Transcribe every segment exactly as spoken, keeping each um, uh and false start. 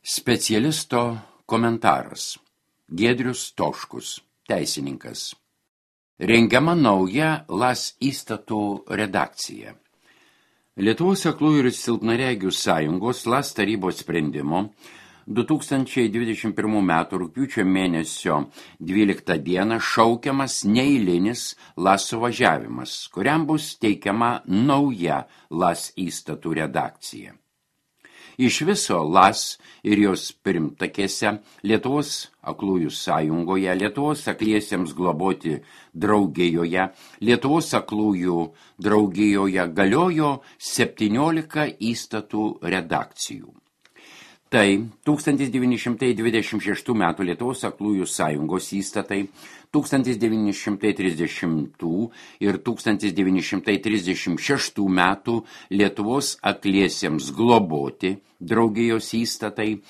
Specialisto komentaras. Giedrius Toškus, teisininkas. Rengiama nauja LAS įstatų redakcija. Lietuvos aklųjų ir silpnaregių sąjungos LAS tarybos sprendimo du tūkstančiai dvidešimt pirmų metų rugpjūčio mėnesio dvyliktą dieną šaukiamas neeilinis LAS suvažiavimas, kuriam bus teikiama nauja LAS įstatų redakcija. Iš viso LAS ir jos pirmtakėse Lietuvos aklųjų sąjungoje, Lietuvos akliesiems globoti draugijoje, Lietuvos aklųjų draugijoje galiojo septyniolika įstatų redakcijų. Tai tūkstantis devyni šimtai dvidešimt šeštų metų Lietuvos aklųjų sąjungos įstatai, tūkstantis devyni šimtai trisdešimtų ir tūkstantis devyni šimtai trisdešimt šeštų metų Lietuvos akliesiems globoti draugijos įstatai,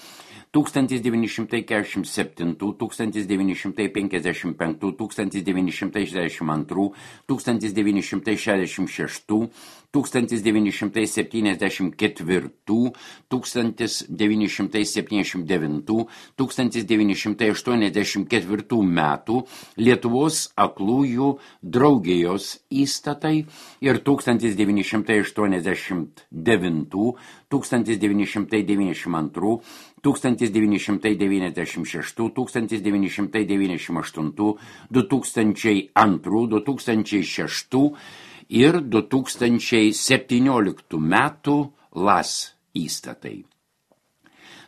tūkstantis devyni šimtai keturiasdešimt septintų, tūkstantis devyni šimtai penkiasdešimt penktų, tūkstantis devyni šimtai šešiasdešimt antrų, tūkstantis devyni šimtai šešiasdešimt šeštų, tūkstantis devyni šimtai septyniasdešimt ketvirtų, tūkstantis devyni šimtai septyniasdešimt devintų, tūkstantis devyni šimtai aštuoniasdešimt ketvirtų metų Lietuvos aklųjų draugijos įstatai ir tūkstantis devyni šimtai aštuoniasdešimt devintų, tūkstantis devyni šimtai devyniasdešimt antrų, tūkstantis devyni šimtai devyniasdešimt šeštų, tūkstantis devyni šimtai devyniasdešimt aštuntų, du tūkstančiai antrų, du tūkstančiai šeštų ir du tūkstančiai septynioliktų metų LAS įstatai.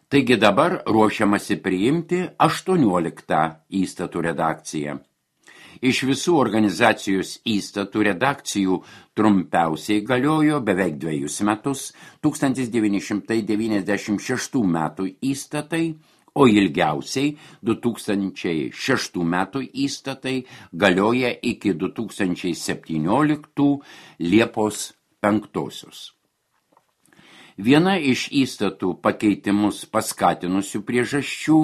Taigi dabar ruošiamasi priimti aštuonioliktą įstatų redakciją. Iš visų organizacijos įstatų redakcijų trumpiausiai galiojo beveik dviejus metus tūkstantis devyni šimtai devyniasdešimt šeštų metų įstatai, o ilgiausiai du tūkstančiai šeštų metų įstatai galioja iki du tūkstančiai septynioliktų Liepos penktosios. Viena iš įstatų pakeitimus paskatinusių priežasčių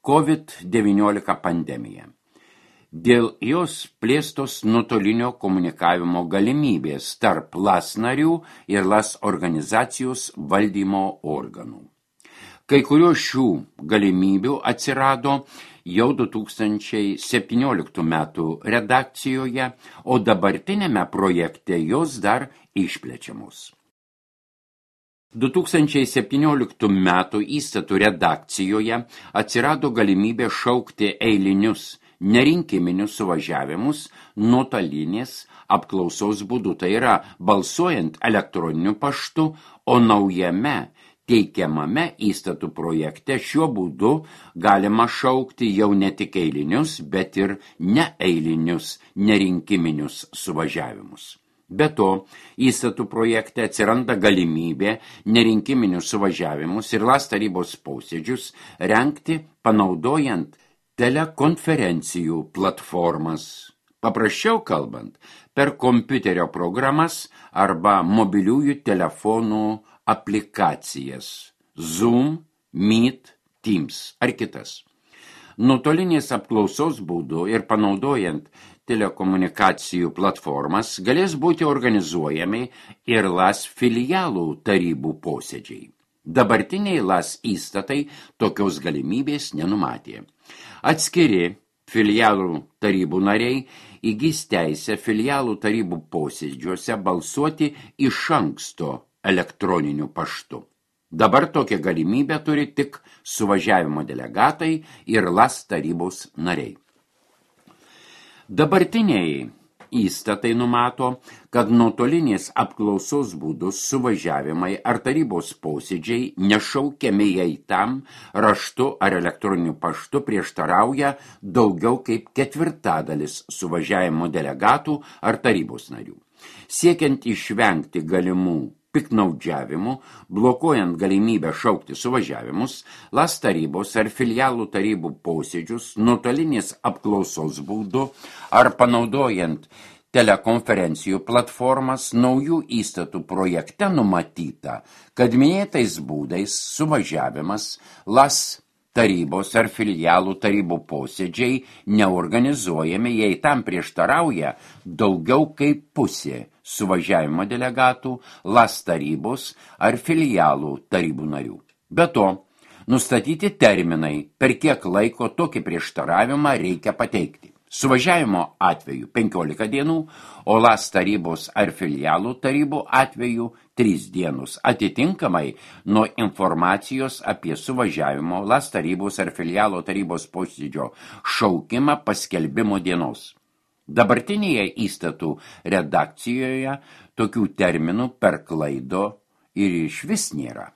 COVID devyniolika pandemija. Dėl jos plėstos nuotolinio komunikavimo galimybės tarp LAS narių ir LAS organizacijos valdymo organų. Kai kurios šių galimybių atsirado jau du tūkstančiai septynioliktų metų redakcijoje, o dabartinėme projekte jos dar išplečiamos. du tūkstančiai septynioliktų metų įstatų redakcijoje atsirado galimybė šaukti eilinius nerinkiminius suvažiavimus nuotolinės apklausos būdu, tai yra balsuojant elektroniniu paštu, o naujame teikiamame įstatų projekte šiuo būdu galima šaukti jau ne tik eilinius, bet ir neeilinius nerinkiminius suvažiavimus. Be to, įstatų projekte atsiranda galimybė nerinkiminius suvažiavimus ir LAS tarybos posėdžius rengti panaudojant telekonferencijų platformas. Paprasčiau kalbant, per kompiuterio programas arba mobiliųjų telefonų aplikacijas Zoom, Meet, Teams ar kitas. Nuotolinės apklausos būdu ir panaudojant telekomunikacijų platformas galės būti organizuojami ir LAS filialų tarybų posėdžiai. Dabartiniai LAS įstatai tokios galimybės nenumatė. Atskiri filialų tarybų nariai įgis teisę filialų tarybų posėdžiuose balsuoti iš anksto elektroniniu paštu. Dabar tokią galimybę turi tik suvažiavimo delegatai ir LAS tarybos nariai. Dabartiniai įstatai numato, kad nuotolinės apklausos būdus suvažiavimai ar tarybos posėdžiai nešaukiami, jei tam raštu ar elektroniniu paštu prieštarauja daugiau kaip ketvirtadalis suvažiavimo delegatų ar tarybos narių. Siekiant išvengti galimų piknaudžiavimų, blokuojant galimybę šaukti suvažiavimus, LAS tarybos ar filialų tarybų posėdžius nuotolinės apklausos būdu ar panaudojant telekonferencijų platformas naujų įstatų projekte numatyta, kad minėtais būdais suvažiavimas LAS tarybos ar filialų tarybų posėdžiai neorganizuojami, jei tam prieštarauja daugiau kaip pusė suvažiavimo delegatų, LAS tarybos ar filialų tarybų narių. Be to, Nustatyti terminai, per kiek laiko tokį prieštaravimą reikia pateikti. Suvažiavimo atveju penkiolika dienų, o LAS tarybos ar filialų tarybų atveju trys dienos, atitinkamai nuo informacijos apie suvažiavimo LAS tarybos ar filialo tarybos posėdžio šaukimą paskelbimo dienos. Dabartinėje įstatų redakcijoje tokių terminų per klaido ir išvis nėra.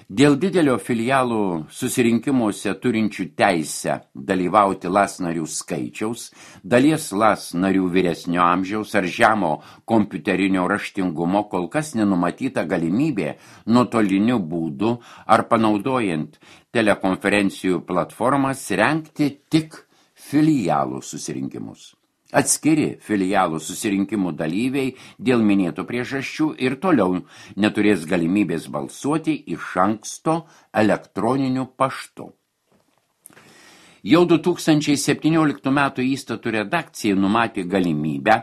Dėl didelio filialų susirinkimuose turinčių teisę dalyvauti LAS narių skaičiaus, dalies LAS narių vyresnio amžiaus ar žemo kompiuterinio raštingumo kol kas nenumatyta galimybė nuotoliniu būdu ar panaudojant telekonferencijų platformas rengti tik filialų susirinkimus. Atskiri filialų susirinkimų dalyviai dėl minėtų priežasčių ir toliau neturės galimybės balsuoti iš anksto elektroniniu paštu. Jau du tūkstančiai septynioliktų metų įstatų redakcija numatė galimybę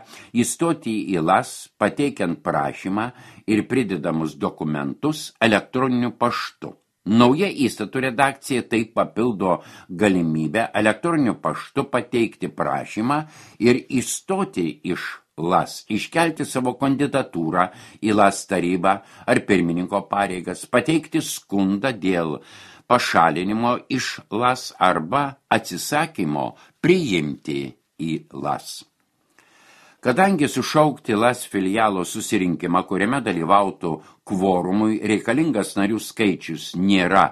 įstoti į LAS pateikiant prašymą ir pridedamus dokumentus elektroniniu paštu. Nauja įstatų redakcija taip papildo galimybę elektroniniu paštu pateikti prašymą ir įstoti iš LAS, iškelti savo kandidatūrą į LAS tarybą ar pirmininko pareigas, pateikti skundą dėl pašalinimo iš LAS arba atsisakymo priimti į LAS. Kadangi sušaukti LAS filialo susirinkimą, kuriame dalyvautų kvorumui reikalingas narių skaičius nėra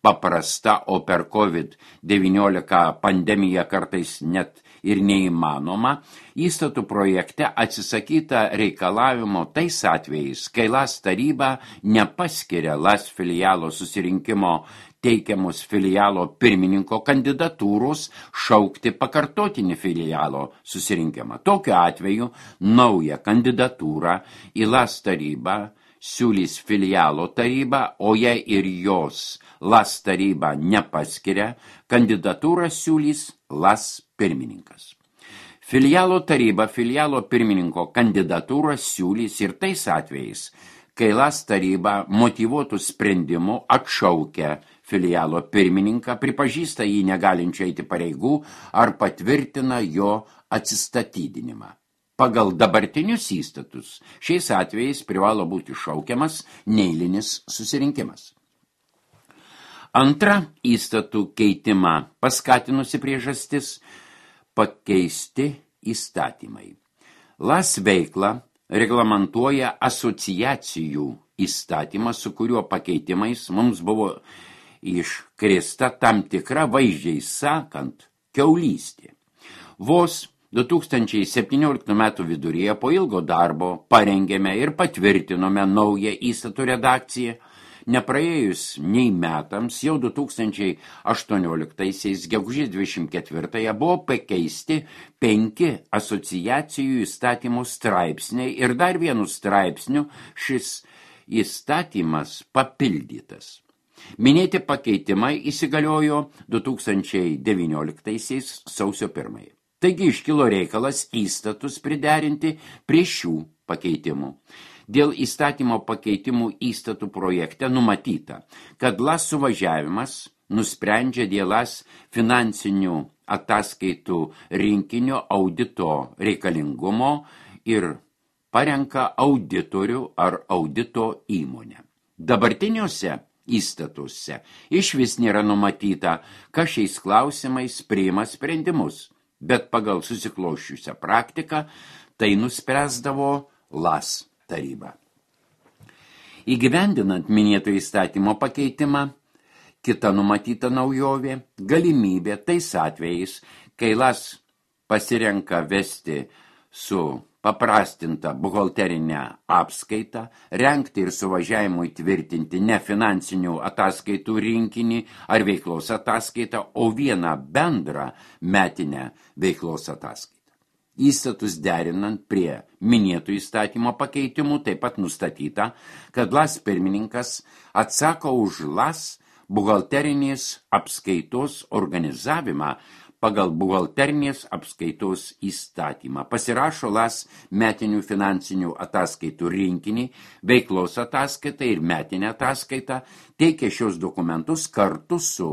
paprasta, o per COVID devyniolika pandemiją kartais net ir neįmanoma, įstatų projekte atsisakyta reikalavimo tais atvejais, kai LAS taryba nepaskiria LAS filialo susirinkimo teikiamus filialo pirmininko kandidatūros šaukti pakartotinį filialo susirinkimą. Tokiu atveju naują kandidatūrą į LAS tarybą siūlys filialo taryba, o jei ir jos LAS taryba nepaskiria, kandidatūrą siūlys LAS pirmininkas. Filialo taryba filialo pirmininko kandidatūrą siūlys ir tais atvejais, kai LAS taryba motyvuotų sprendimu atšaukia filialo pirmininką, pripažįsta jį negalinčią eiti pareigų ar patvirtina jo atsistatydinimą. Pagal dabartinius įstatus šiais atvejais privalo būti šaukiamas neeilinis susirinkimas. Antra įstatų keitimą paskatinusi priežastis – pakeisti įstatymai. LAS veiklą reglamentuoja asociacijų įstatymas, su kuriuo pakeitimais mums buvo iškrėsta tam tikra, vaizdžiai sakant, kiaulystė. Vos du tūkstančiai septynioliktų metų viduryje po ilgo darbo parengėme ir patvirtinome naują įstatų redakciją. Nepraėjus nei metams, jau du tūkstančiai aštuonioliktaisiais gegužės dvidešimt ketvirtąją buvo pakeisti penki asociacijų įstatymų straipsniai ir dar vienu straipsniu šis įstatymas papildytas. Minėti pakeitimai įsigaliojo du tūkstančiai devynioliktaisiais sausio pirmąją. Taigi iškilo reikalas įstatus priderinti prie šių pakeitimų. Dėl įstatymo pakeitimų įstatų projekte numatyta, kad LAS suvažiavimas nusprendžia dėl LAS finansinių ataskaitų rinkinio audito reikalingumo ir parenka auditorių ar audito įmonę. Dabartiniuose įstatuose iš vis nėra numatyta, kas šiais klausimais priima sprendimus, bet pagal susikloščiusią praktiką tai nuspręsdavo LAS taryba. Įgyvendinant minėto įstatymo pakeitimą, kita numatyta naujovė – galimybė tais atvejais, kai LAS pasirenka vesti su paprastinta buhalterinę apskaitą, rengti ir suvažiavimui tvirtinti ne finansinių ataskaitų rinkinį ar veiklos ataskaitą, o vieną bendrą metinę veiklos ataskaitą. Įstatus derinant prie minėtų įstatymo pakeitimų taip pat nustatyta, kad LAS pirmininkas atsako už LAS buhalterinės apskaitos organizavimą pagal buhalterinės apskaitos įstatymą. Pasirašo LAS metinių finansinių ataskaitų rinkinį, veiklos ataskaitą ir metinę ataskaitą, teikia šios dokumentus kartu su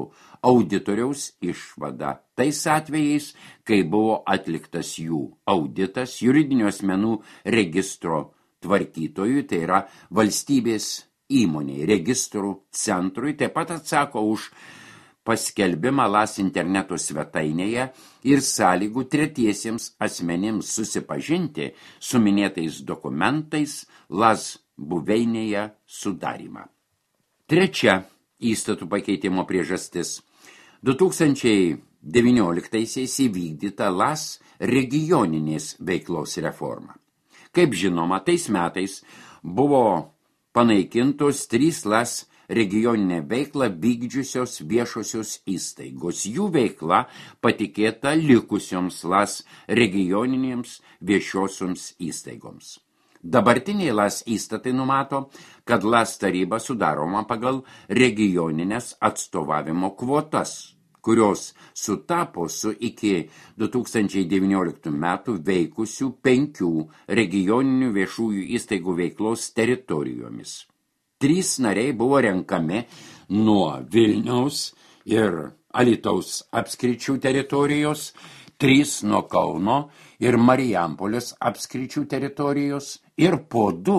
auditoriaus išvada. Tais atvejais, kai buvo atliktas jų auditas juridinių asmenų registro tvarkytojui, tai yra valstybės įmoniai, registrų centrui, taip pat atsako už paskelbimą LAS interneto svetainėje ir sąlygų tretiesiems asmenims susipažinti su minėtais dokumentais LAS buveinėje sudarymą. Trečia įstatų pakeitimo priežastis. du tūkstančiai devynioliktaisiais įvykdyta LAS regioninės veiklos reforma. Kaip žinoma, tais metais buvo panaikintos trys LAS regioninę veiklą vykdžiusios viešosios įstaigos. Jų veikla patikėta likusioms LAS regioninėms viešosioms įstaigoms. Dabartiniai LAS įstatai numato, kad LAS taryba sudaroma pagal regioninės atstovavimo kvotas, kurios sutapo su iki du tūkstančiai devynioliktų metų veikusių penkių regioninių viešųjų įstaigų veiklos teritorijomis. Trys nariai buvo renkami nuo Vilniaus ir Alytaus apskričių teritorijos, trys nuo Kauno ir Marijampolės apskričių teritorijos ir po du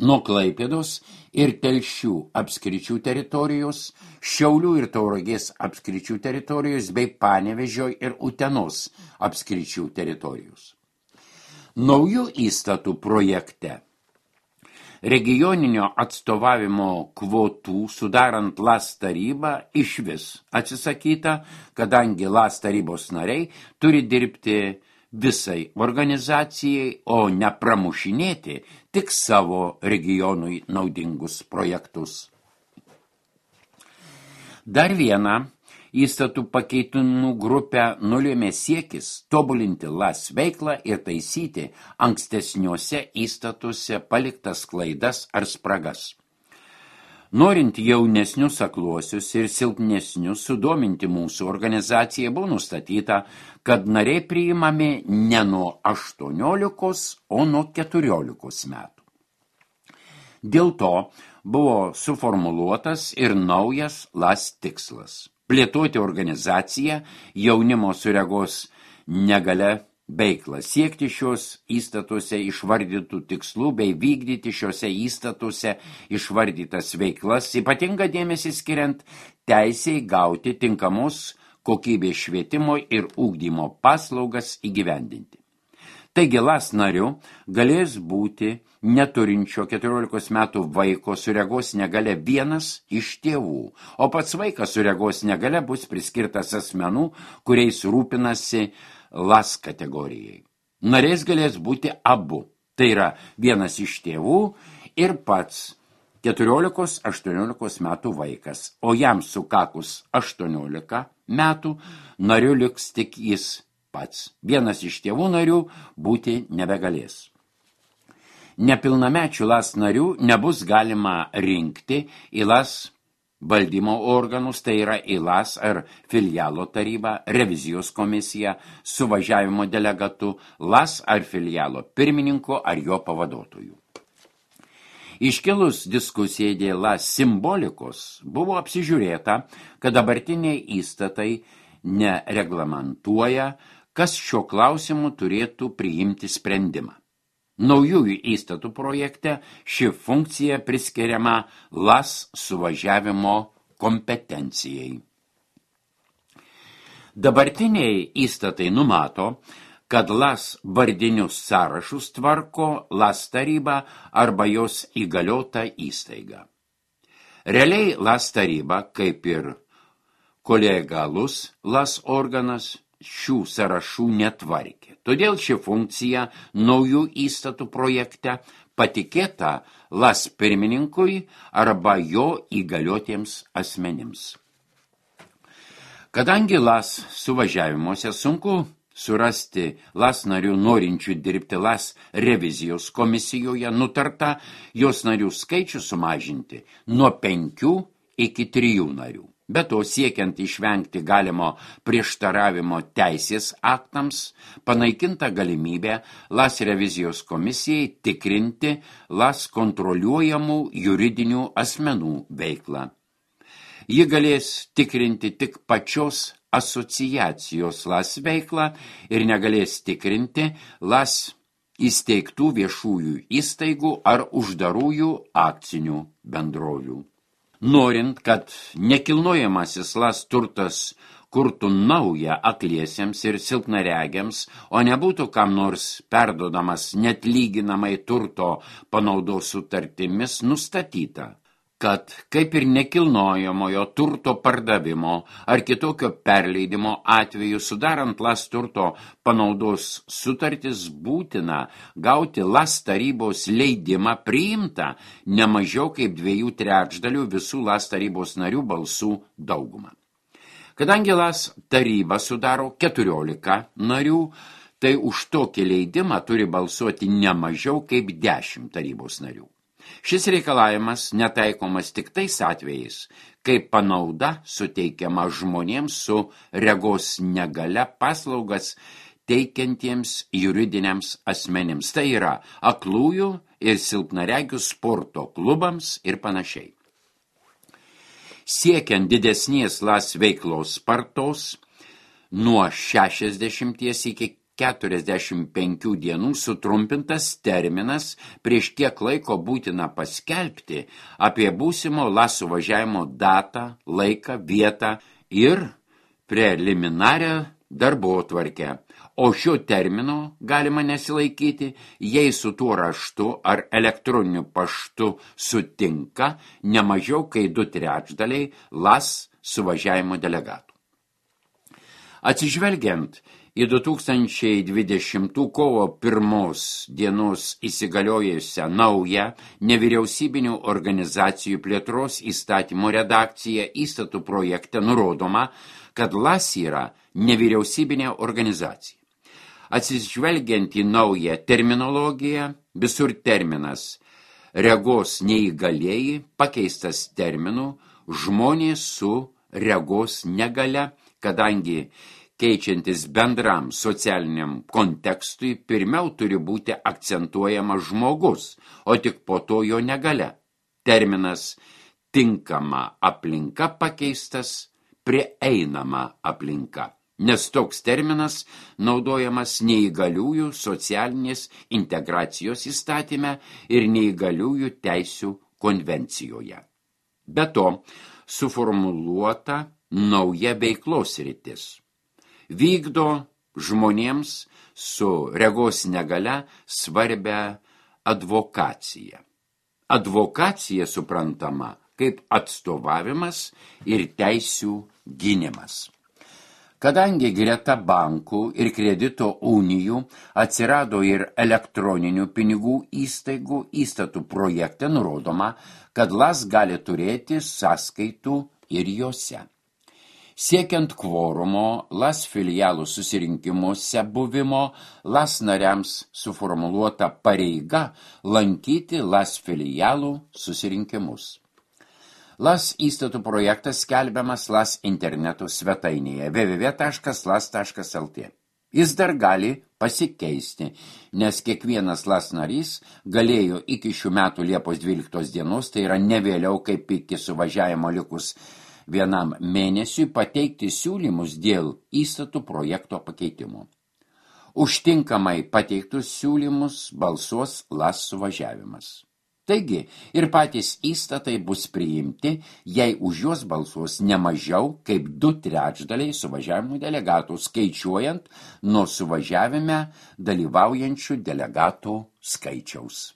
nuo Klaipėdos ir Telšių apskričių teritorijos, Šiaulių ir Tauragės apskričių teritorijos bei Panevėžio ir Utenos apskričių teritorijos. Naujų įstatų projekte regioninio atstovavimo kvotų sudarant LAS tarybą išvis atsisakyta, kadangi LAS tarybos nariai turi dirbti visai organizacijai, o ne pramušinėti tik savo regionui naudingus projektus. Dar viena įstatų pakeitimų grupę nulėmė siekis tobulinti LAS veiklą ir taisyti ankstesniuose įstatuose paliktas klaidas ar spragas. Norint jaunesnius akluosius ir silpnesnius sudominti mūsų organizaciją, buvo nustatyta, kad nariai priimami ne nuo aštuoniolikos, o nuo keturiolikos metų. Dėl to buvo suformuluotas ir naujas LAS tikslas – plėtoti organizaciją jaunimo su regos negalia veiklą, siekti šios įstatuose išvardytų tikslų bei vykdyti šiose įstatuose išvardytas veiklas, ypatingą dėmesį skiriant teisei gauti tinkamos kokybės švietimo ir ugdymo paslaugas įgyvendinti. Taigi LAS nariu galės būti neturinčio keturiolikos metų vaiko su regos negalia vienas iš tėvų, o pats vaikas su regos negalia bus priskirtas asmenų, kuriais rūpinasi LAS kategorijai. Nariais galės būti abu, tai yra vienas iš tėvų ir pats keturiolikos aštuoniolikos metų vaikas, o jam sukakus aštuoniolika metų nariu liks tik jis pats. Vienas iš tėvų narių būti nebegalės. Nepilnamečių LAS narių nebus galima rinkti į LAS valdymo organus, tai yra į LAS ar filialo tarybą, revizijos komisiją, suvažiavimo delegatu, LAS ar filialo pirmininko ar jo pavaduotojų. Iškilus diskusijai dėl LAS simbolikos buvo apsižiūrėta, kad dabartiniai įstatai nereglamentuoja, kas šio klausimu turėtų priimti sprendimą. Naujųjų įstatų projekte ši funkcija priskiriama LAS suvažiavimo kompetencijai. Dabartiniai įstatai numato, kad LAS vardinius sąrašus tvarko LAS taryba arba jos įgaliota įstaiga. Realiai LAS taryba, kaip ir kolegialus LAS organas, šių sąrašų netvarkė. Todėl ši funkcija naujų įstatų projekte patikėta LAS pirmininkui arba jo įgaliotiems asmenims. Kadangi LAS suvažiavimuose sunku surasti LAS narių norinčių dirbti LAS revizijos komisijoje, nutarta jos narių skaičių sumažinti nuo penkių iki trijų narių. Be to, siekiant išvengti galimo prieštaravimo teisės aktams, panaikinta galimybė LAS revizijos komisijai tikrinti LAS kontroliuojamų juridinių asmenų veiklą. Ji galės tikrinti tik pačios asociacijos LAS veiklą ir negalės tikrinti LAS įsteigtų viešųjų įstaigų ar uždarųjų akcinių bendrovių. Norint, kad nekilnojamasis LAS turtas kurtų naują akliesiems ir silpnaregiams, o nebūtų kam nors perduodamas net lyginamai turto panaudos sutartimis, nustatyta, kad kaip ir nekilnojamojo turto pardavimo ar kitokio perleidimo atveju sudarant LAS turto panaudos sutartis būtina gauti LAS tarybos leidimą priimtą ne mažiau kaip dviejų trečdalių visų LAS tarybos narių balsų daugumą. Kadangi LAS taryba sudaro keturiolika narių, tai už tokį leidimą turi balsuoti ne mažiau kaip dešimt tarybos narių. Šis reikalavimas netaikomas tik tais atvejais, kai panauda suteikiama žmonėms su regos negalia paslaugas teikiantiems juridiniams asmenims. Tai yra aklųjų ir silpnaregių sporto klubams ir panašiai. Siekiant didesnės LAS veiklos spartos, nuo šešiasdešimties iki keturiasdešimt penkių dienų sutrumpintas terminas, prieš kiek laiko būtina paskelbti apie būsimo LAS suvažiavimo datą, laiką, vietą ir preliminarią darbotvarkę. O šio termino galima nesilaikyti, jei su tuo raštu ar elektroniniu paštu sutinka ne mažiau kaip du trečdaliai LAS suvažiavimo delegatų. Atsižvelgiant į du tūkstančiai dvidešimtų kovo pirmos dienos įsigaliojusią naują nevyriausybinių organizacijų plėtros įstatymo redakciją įstatų projekte nurodoma, kad LAS yra nevyriausybinė organizacija. Atsižvelgiant į naują terminologiją, visur terminas regos neįgalieji pakeistas terminu žmonės su regos negalia, kadangi keičiantis bendram socialiniam kontekstui, pirmiau turi būti akcentuojamas žmogus, o tik po to jo negalia. Terminas tinkama aplinka pakeistas prieinama aplinka, nes toks terminas naudojamas neįgaliųjų socialinės integracijos įstatyme ir neįgaliųjų teisių konvencijoje. Be to, suformuluota nauja veiklos sritis. Vykdo žmonėms su regos negalia svarbia advokacija. Advokacija suprantama kaip atstovavimas ir teisių gynimas. Kadangi greta bankų ir kredito unijų atsirado ir elektroninių pinigų įstaigų, įstatų projekte nurodoma, kad LAS gali turėti sąskaitų ir jose. Siekiant kvorumo LAS filialų susirinkimuose buvimo, LAS nariams suformuluota pareiga lankyti LAS filialų susirinkimus. LAS įstatų projektas skelbiamas LAS interneto svetainėje w w w taškas las taškas l t. Jis dar gali pasikeisti, nes kiekvienas LAS narys galėjo iki šių metų Liepos dvyliktos dienos, tai yra ne vėliau kaip iki suvažiavimo likus vienam mėnesiui, pateikti siūlymus dėl įstatų projekto pakeitimo. Užtinkamai pateiktus siūlymus balsuos LAS suvažiavimas. Taigi, ir patys įstatai bus priimti, jei už juos balsuos ne mažiau kaip du trečdaliai suvažiavimo delegatų, skaičiuojant nuo suvažiavime dalyvaujančių delegatų skaičiaus.